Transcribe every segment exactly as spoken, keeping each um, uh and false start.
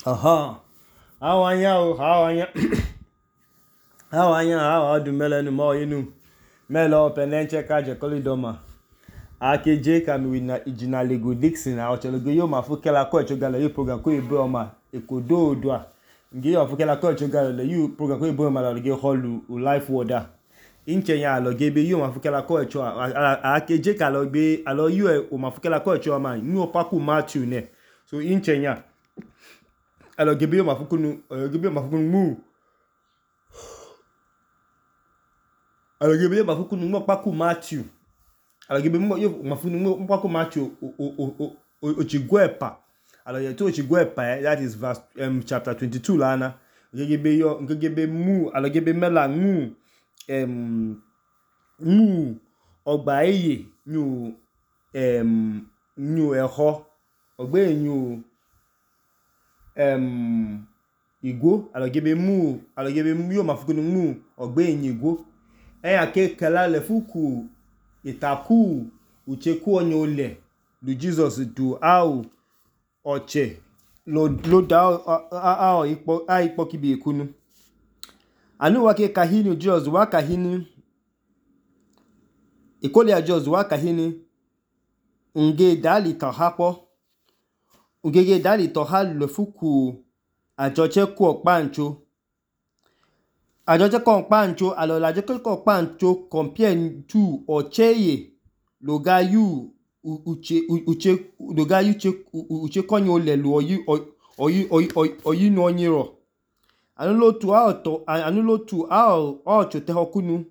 Aha. Awanya o, awanya. Awanya, awadu melenu mo inu. Melo penenche kaje kolidoma. Akeje kami wina ijina Lego Dixon a ochologo yo mafukela ko echogala yo program ko ebe oma ekodo odua. Ngi yo fukela ko echogala le you program ko ebe oma la ge holu u life water. Inche nya alo gebe yo mafukela ko echo akeje ka lo gbe alo you o mafukela ko echo oma ni opaku Matthew ne. So inche nya alo gebe yo mafukunu gebe yo mafukunu mu alo gebe yo mafukunu mo opaku Matthew. Alo gebe mo yo mafukunu mo opaku Matthew o o o ochigwepa. Alo ye to ochigwepa that is verse um, chapter twenty-two la na. Gebe yo gebe mu alo gebe mela mu um mu ọgbà eye nyu um nyu eho ọgbà enyu um igwo alo gebe mu alo gebe mu yo mafukunu mu ọgbà enyu igwo eya ke kala le fuku itaku ucheku onye ole lu Jesus du au oche lo lo da a a ipo a ipo kibi ekunu anu wa ke kahini Jesus wa kahini ikole a Jesus wa kahini nge dali to hapo ngege dali to hal le fuku ajoche ku opancho ajoche ko opancho alo la je ko opancho compare to ocheye lo ga yu uche uche lo ga yu che uche konyo le lu oyi oyi oyi oyi no nyiro anu lo tu a to anu lo tu a o chote hokunu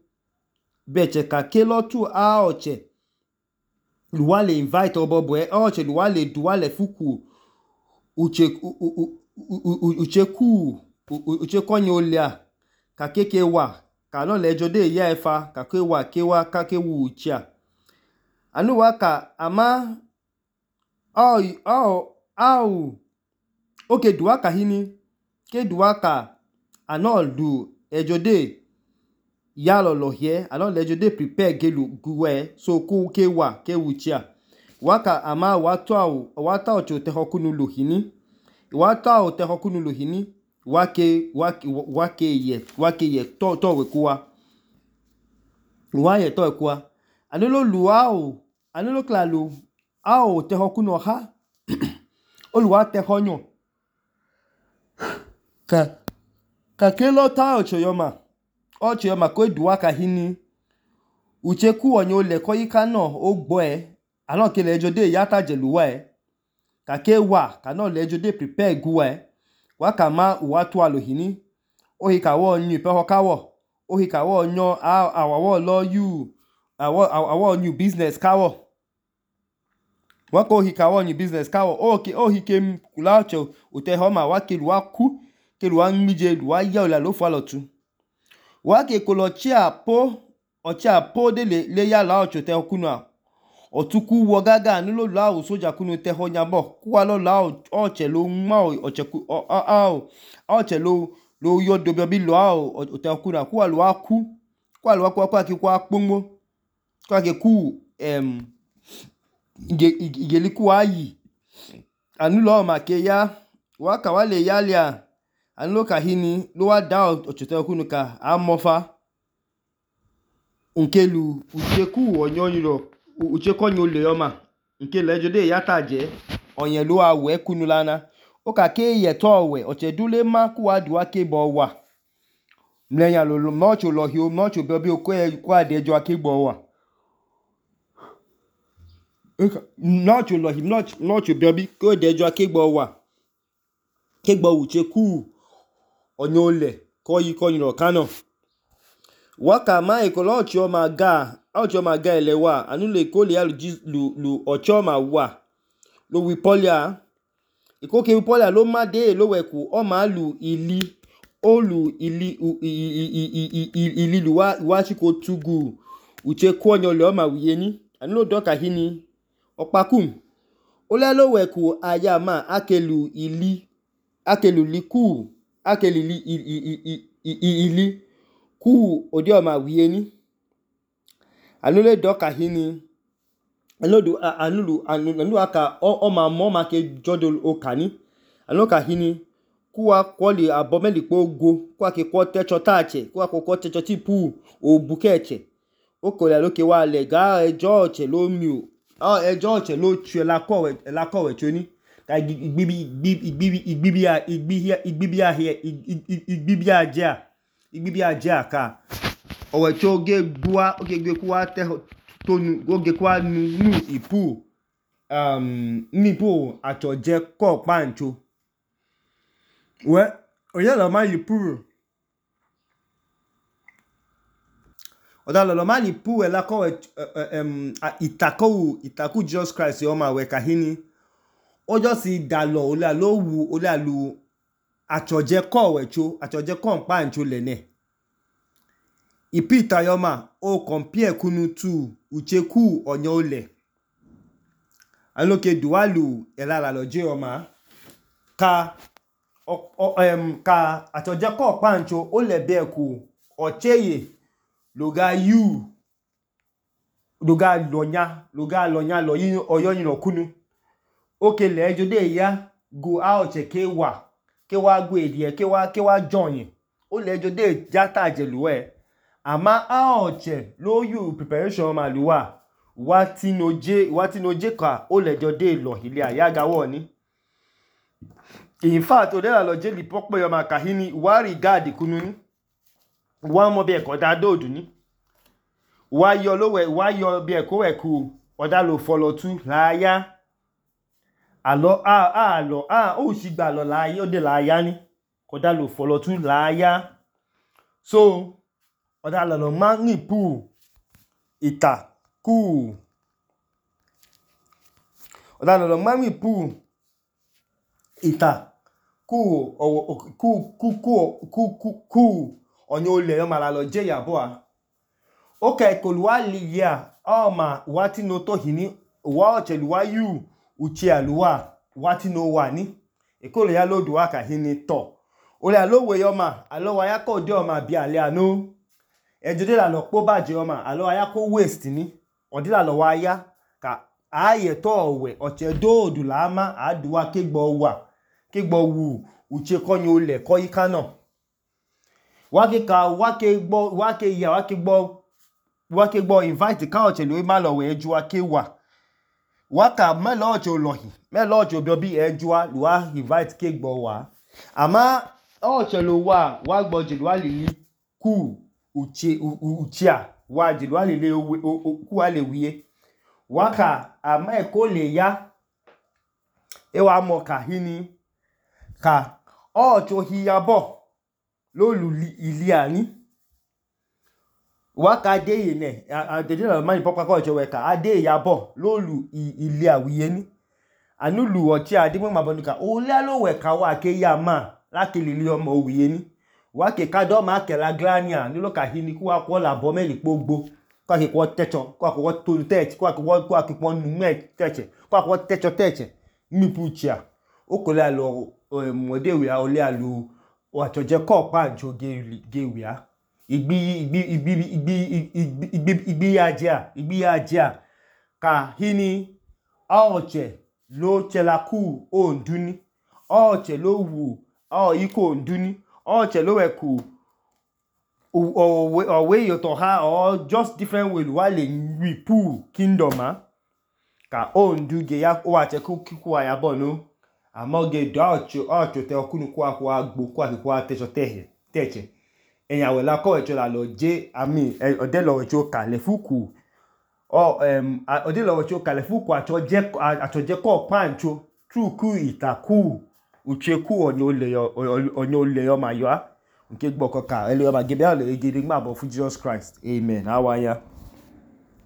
beche ka ke lo tu a oche luwa le invite obobo e oche luwa le duwa le fuku uche uche ku uche konyo le a ka keke wa ka no le jode ya efa ka ke wa ke wa ka ke wu ucha anu wa ka ama au au au oke duwa ka hini ke duwa ka anol du ejode ya lo lo here anol ejode prepare gelu guwe so ku ke wa ke wucha waka ama watu au wata ocho te hokunu lohini wata o te hokunu lohini wake wake wake ye wake ye to to we kuwa wa ye to kuwa anolo luwa o anolo klalu a o te hokunu ha oluwa te honyo ka ka kelo ta ocho yoma ocho yoma ko duwa ka hini uche ku onye ole ko yika no ogbo e ano ke le jode yata jeluwa e ka ke wa ka no le jode prepare guwa e wa ka ma wa to alohini o hi ka wo nyu pe ho ka wo o hi ka wo nyo a awo lo you awo awo new business ka wo wa ko hi ka wo new business ka wo o ke o hi ke kula ocho ute ho ma wa ke luwa ku ke luwa nmije luwa ya ola lo fa lotu wa ke ko lo chi apo ochi apo de le le ya la ocho te okunu a otuku wo gaga ni lo la o soja kunu te ho nyabo ku wa lo la oche lo ma oche ku o a oche lo lo yo do bi lo a o te okunu a ku wa lo aku ku wa lo aku ku aki ku apomo ku aki ku em ige igeli ku ayi anu lo ma ke ya wa ka wa le ya le a anu lo ka hini lo wa da oche te okunu ka amofa nkelu ucheku onyonyiro ucheko nyole yoma nkele jode yata je onye lo awe kunu lana o ka ke ye to we oche dule ma ku wa duwa ke bo wa mlenya lo mo cho lo hi o mo cho bi o ko e ku ade jo ke bo wa no cho lo hi no no cho bi ko de jo ke bo wa ke gbo ucheku onyole ko yi ko nyiro kano waka ma ekolo ocho ma ga ocho ma ga ele wa anu le ko le alu lu lu ocho ma wa lo wi polia iko ke wi polia lo ma de lo we ku o ma lu ili o lu ili ili lu wa wa chi ko tugu uche ko onyo le o ma wiye ni anu lo doka hini opakum o le lo we ku aya ma akelu ili akelu liku akelu ili ili ku odi o ma wiye ni anu le doka hini anu du anu lu anu aka o ma mo ma ke jodo o kani anu ka hini kuwa kwoli abomeli kpogo kuwa ke kwa techo tache kuwa kwa techo tipu obukeche okole loke wa le ga ejo che lo mi o ejo che lo tue la kowe la kowe choni ka igbibi igbibi igbibi a igbibi igbibi a here igbibi a ja igbibi a ja ka owe cho ge bua oge gbe kuwa te tonu oge kuwa nu nu ipu um nipo atoje ko pancho we oye lo ma ipu oda lo lo ma ipu e la ko um itaku itaku Jesus Christ o ma we kahini ojo si dalo ola lo wu ola lu atoje ko we cho atoje ko pancho le ne ipita yoma o compare kunu tu ucheku onyo ole aloke dualu elala loje oma ka o, o um ka atoje ko pancho o le be ku ocheye loga yu loga lonya loga lonya lo yin oyo yin okunu oke le ejo de ya go out ke wa ke wa gwe die ke wa ke wa join o le ejo de jata jeluwe ama aoche lo yu preparation ma luwa wati noje wati noje ka o le jo de lo ile ayaga wo ni in fact o de la lo je li popo yo ma kahini wa regard kunu ni wa mo be ko da dodu ni wa yo lo we wa yo be ko we ku oda lo follow tu la ya alo a a lo a o si gba lo la ya o de la ya ni ko da lo follow tu la ya so oda lo lo ma ni pu ita ku oda lo lo ma ni pu ita ku o ku ku ku ku ku onyo le yo ma la lo je yabo a okay kolwa liya o ma wati no to hini wa o cheluwa yu uchi aluwa wati no wa ni ekole ya lodu aka hini to ole alowe yo ma alo wa ya ko de o ma bi ale anu ejode la lo po baje o ma alo wa ya ko waste ni odila lo wa ya ka aye to owe oche dodu la ma aduwa kegbo wa kegbo wu uche konyo le ko yika no wa ke ka wa ke gbo wa ke ya wa ke gbo wa ke gbo invite ka oche lo ma lo we eju wa ke wa wa ka me lo oche olohi me lo oche obi obi eju wa lu wa invite ke gbo wa ama oche lo wa wa gbo je lu wa lili ku uche uchia wa je lu wa lili ku wa le wiye wa ka ama e ko le ya e wa mo ka hini ka ocho hiyabo lo lu ili ani wa ka de ye ne adeje la ma ni papa ko ocho we ka ade yabo lo lu ili awiye ni anu lu ochi ade mo ma bonuka o le lo we ka wa ke ya ma la ke lili omo owiye ni wa ke ka do ma ke la glania ni lo ka hini ku wa ko la bo meli pogbo kwa ke ko techo kwa ko to teche kwa ko kwa ke ko nu me teche kwa ko techo teche mi puchia o ko la lo mode wi a o le alu o atoje ko pancho ge ge wi a igbi igbi igbi igbi igbi igbi aja igbi aja ka hini aoche lo chela ku o nduni aoche lo wu o iko nduni aoche lo we ku or way you to ha or just different way wa le wi pu kingdom a ka o ndu ge ya o ache ku ku aya bo no amoge do acho acho te okunu ku akwa agbo ku akwa techo tehe teche eyan we la ko echo la lo je ami ode lo echo ka le fuku o um ode lo echo ka le fuku acho je acho je ko pancho true ku itaku ucheku onyo le onyo le yo ma yo a nke gbo ko ka ele yo ma gebe ale egede gba bo fu Jesus Christ amen awaya.